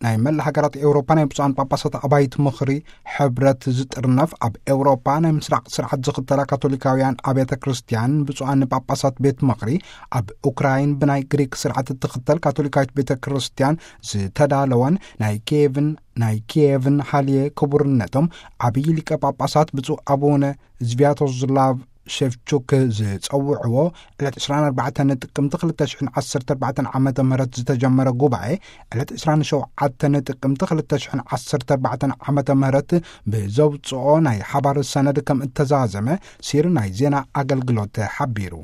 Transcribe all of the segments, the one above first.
ናይ መላ ሃገራት ኤውሮፓ ናይ ብፁዓን ጳጳሳት ኣባይት ምኽሪ ሕብረት ዝጥርነፍ፣ ኣብ ኤውሮፓ ናይ ምስራቕ ስርዓት ዝኽተላ ካቶሊካውያን ኣብያተ ክርስቲያን ብፁዓን ጳጳሳት ቤት ምኽሪ፣ ኣብ ኡክራይን ብናይ ግሪክ ስርዓት እትኽተል ካቶሊካዊት ቤተ ክርስቲያን ዝተዳለወን ናይ ኪየቭን ናይ ኪየቭን ሃልየ ክቡርነቶም ዓብዪ ሊቀ ጳጳሳት ብፁዕ ኣቡነ ዝቪያቶስላቭ ሸፍቹክ ዝጸውዕዎ ዕለት ዕስራን ኣርባዕተን ጥቅምቲ ክልተ ሽሕን ዓሰርተ ኣርባዕተን ዓመተ ምህረት ዝተጀመረ ጉባኤ፣ ዕለት ዕስራን ሸውዓተን ጥቅምቲ ክልተ ሽሕን ዓሰርተ ኣርባዕተን ዓመተ ምህረት ብዘውጽኦ ናይ ሓባር ሰነድ ከም እተዛዘመ ሲር ናይ ዜና ኣገልግሎት ሓቢሩ።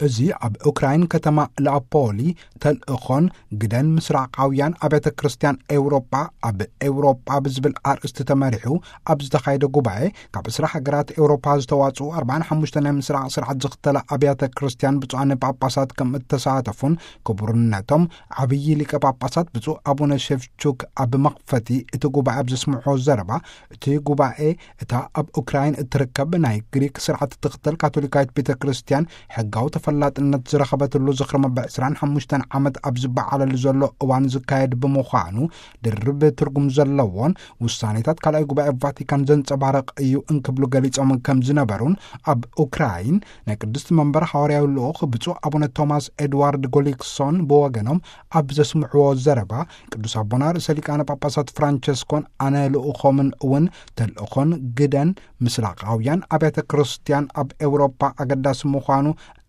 እዚ ኣብ ኡክራይን ከተማ ላፖሊ ተልእኾን ግደን ምስራቃውያን ኣብያተ ክርስቲያን ኤውሮጳ ኣብ ኤውሮጳ ብዝብል ኣርእስቲ ተመሪሑ ኣብ ዝተኻየደ ጉባኤ፣ ካብ ዕስራ ሃገራት ኤውሮጳ ዝተዋጽኡ ኣርባዓን ሓሙሽተ ናይ ምስራቕ ስርዓት ዝኽተላ ኣብያተ ክርስቲያን ብፁዓን ጳጳሳት ከም እተሳተፉን፣ ክቡርነቶም ዓብዪ ሊቀ ጳጳሳት ብፁዕ ኣቡነ ሸፍቹክ ኣብ መኽፈቲ እቲ ጉባኤ ኣብ ዘስምዕዎ ዘረባ፣ እቲ ጉባኤ እታ ኣብ ኡክራይን እትርከብ ናይ ግሪክ ስርዓት እትኽተል ካቶሊካዊት ቤተ ክርስቲያን ሕጋዊ ተፈላጥነት ዝረኸበትሉ ዝኽሪ መበል ዕስራን ሓሙሽተን ዓመት ኣብ ዝበዓለሉ ዘሎ እዋን ዝካየድ ብምዃኑ፣ ድርብ ትርጉም ዘለዎን ውሳኔታት ካልኣይ ጉባኤ ቫቲካን ዘንጸባርቕ እዩ እንክብሉ ገሊጾም ከም ዝነበሩን፣ ኣብ ኡክራይን ናይ ቅድስቲ መንበር ሃዋርያዊ ልኡኽ ብፁዕ ኣቡነ ቶማስ ኤድዋርድ ጎሊክሶን ብወገኖም ኣብ ዘስምዕዎ ዘረባ፣ ቅዱስ ኣቦና ርእሰ ሊቃነ ጳጳሳት ፍራንቸስኮን ኣነ ልኡኾምን እውን ተልእኾን ግደን ምስራቃውያን ኣብያተ ክርስቲያን ኣብ ኤውሮፓ ኣገዳሲ ምዃኑ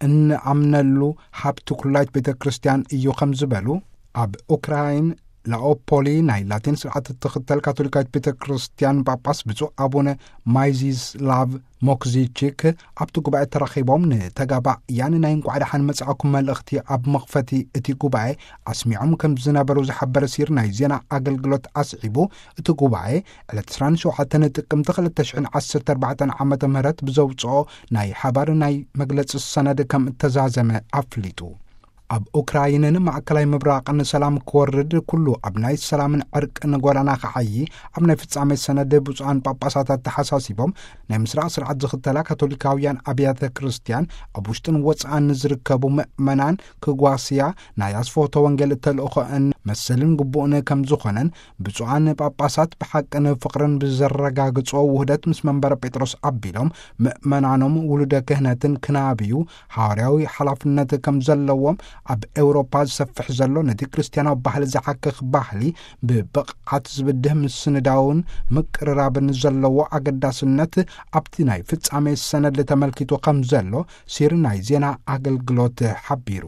እንኣምነሉ ሃብቲ ኩላይት ቤተ ክርስቲያን እዩ ከም ዝበሉ፣ ኣብ ኡክራይን ላኦፖሊ ናይ ላቲን ስርዓት እትኽተል ካቶሊካዊት ቤተ ክርስቲያን ጳጳስ ብፁዕ ኣቡነ ማይዚስላቭ ሞክዚቺክ ኣብቲ ጉባኤ ተረኺቦም ንተጋባእያን ናይ እንቋዕ ደሓን መጻእኩም መልእኽቲ ኣብ መኽፈቲ እቲ ጉባኤ ኣስሚዖም ከም ዝነበሩ ዝሓበረ ሲር ናይ ዜና ኣገልግሎት ኣስዒቡ፣ እቲ ጉባኤ ዕለት ዕስራን ሸውዓተን ጥቅምቲ ክልተ ሽሕን ዓሰርተ ኣርባዕተን ዓመተ ምህረት ብዘውጽኦ ናይ ሓባር ናይ መግለጺ ሰነድ ከም እተዛዘመ ኣፍሊጡ። ኣብ ኡክራይንን ማእከላይ ምብራቕን ሰላም ክወርድ፣ ኩሉ ኣብ ናይ ሰላምን ዕርቅን ጎዳና ክዓዪ፣ ኣብ ናይ ፍጻሜ ሰነድ ብፁዓን ጳጳሳት ኣተሓሳሲቦም፣ ናይ ምስራቕ ስርዓት ዝኽተላ ካቶሊካውያን ኣብያተ ክርስቲያን ኣብ ውሽጥን ወጻእን ንዝርከቡ ምእመናን ክጓስያ ናይ ኣስፍሆተ ወንጌል ተልእኾአን መሰልን ግቡእን ከም ዝኾነን፣ ብፁዓን ጳጳሳት ብሓቅን ፍቕርን ብዘረጋግጾ ውህደት ምስ መንበረ ጴጥሮስ ኣቢሎም ምእመናኖም ውሉደ ክህነትን ክናብዩ ሃዋርያዊ ሓላፍነት ከም ዘለዎም፣ ኣብ ኤውሮፓ ዝሰፍሕ ዘሎ ነቲ ክርስትያናዊ ባህሊ ዝሓክኽ ባህሊ ብብቕዓት ዝብድህ ምስንዳውን ምቅርራብን ዘለዎ ኣገዳስነት ኣብቲ ናይ ፍጻሜ ሰነድ ተመልኪቱ ከም ዘሎ ሲር ናይ ዜና ኣገልግሎት ሓቢሩ።